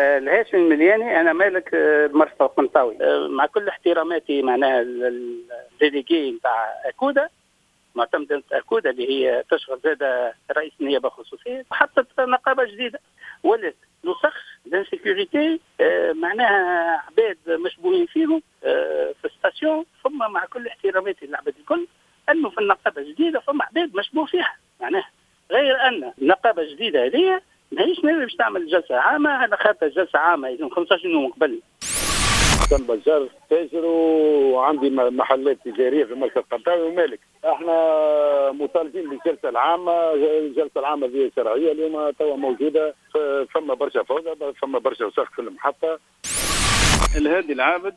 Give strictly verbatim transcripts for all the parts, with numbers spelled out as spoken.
الهاشمي الملياني، انا مالك مرسى القنطاوي. مع كل احتراماتي معناها ال délégué نتاع اكودا، معتمدة اكودا اللي هي تشغل زاد رئيس النيابة الخصوصية، حطت نقابة جديدة ولات نسخ d'insécurité، معناها عباد مشبوهين فيهم في station. ثم مع كل احتراماتي للعباد الكل، انه في النقابة الجديدة فما عباد مشبوه فيها، معناها غير ان النقابة الجديدة هذه ماهيش ناوية باش تعمل جلسه عامة، على خاطر جلسه عامة يلزم خمسطاش يوم قبل. كان بجار تاجر وعندي محلات تجارية في مركز القنطاوي ومالك. احنا مطالبين بالجلسه العامة، الجلسة العامة ذي شرعية اليوم توا موجودة، فما برشا فوضى، فما برشا وسخ في المحطة. الهادي العابد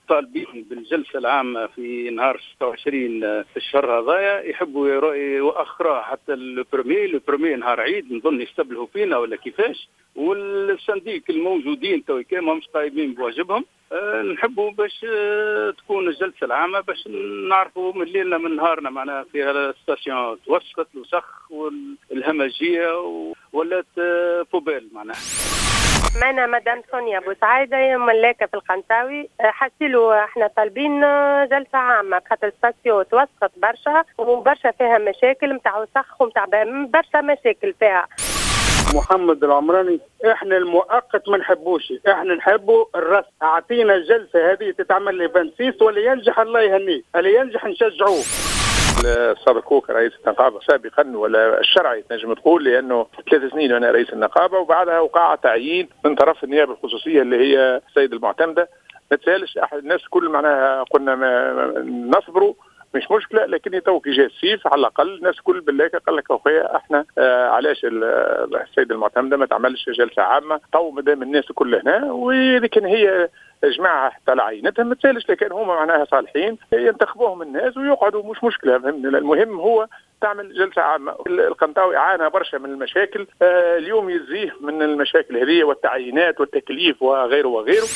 طالبين بالجلسه العامة في نهار ستة وعشرين في الشهر هذايا، يحبوا يؤخروها حتى ال premier، ال premier نهار عيد نظن يستبلهوا فينا ولا كيفاش. وال syndic الموجودين تو كان ماهمش قايمين بواجبهم. أه نحبوا باش أه تكون الجلسة العامة باش نعرفوا من ليلنا من نهارنا معناها في ال station توسخت الوسخ والهمجيه ولات أه poubelle معناها. معنا مدام سونيا بوسعيدة ملاكة في القنطاوي. حسيلو احنا طالبين جلسة عامة خاطر station توسخت برشا وبرشا فيها مشاكل نتاع وسخ ونتاع برشا مشاكل فيها. محمد العمراني، احنا المؤقت ما نحبوش، احنا نحبوا الرسم. اعطينا الجلسة هذه تتعمل لي ستة وعشرين واللي ينجح الله يهنيه، اللي ينجح نشجعوه. صابر كوك رئيس النقابة سابقا ولا الشرعي تنجم تقول، لانه ثلاث سنين وانا رئيس النقابة، وبعدها وقع تعيين من طرف النيابة الخصوصية اللي هي السيد المعتمدة. ما تسالش الناس كل معناها قلنا ما نصبروا مش مشكلة، لكن تو كي جا السيف على الاقل الناس كل بالله قال لك اخويا احنا آه علاش السيد المعتمدة ما تعملش جلسه عامة تو مادام الناس كل هنا، واذا كان هي جماعة حتى لعينتها ما تسالش، لكن هما معناها صالحين ينتخبوهم الناس ويقعدوا مش مشكلة، فهمتني؟ المهم هو تعمل جلسه عامة. القنطاوي عانى برشا من المشاكل، آه اليوم يزيه من المشاكل هذه والتعيينات والتكليف وغيره وغيره.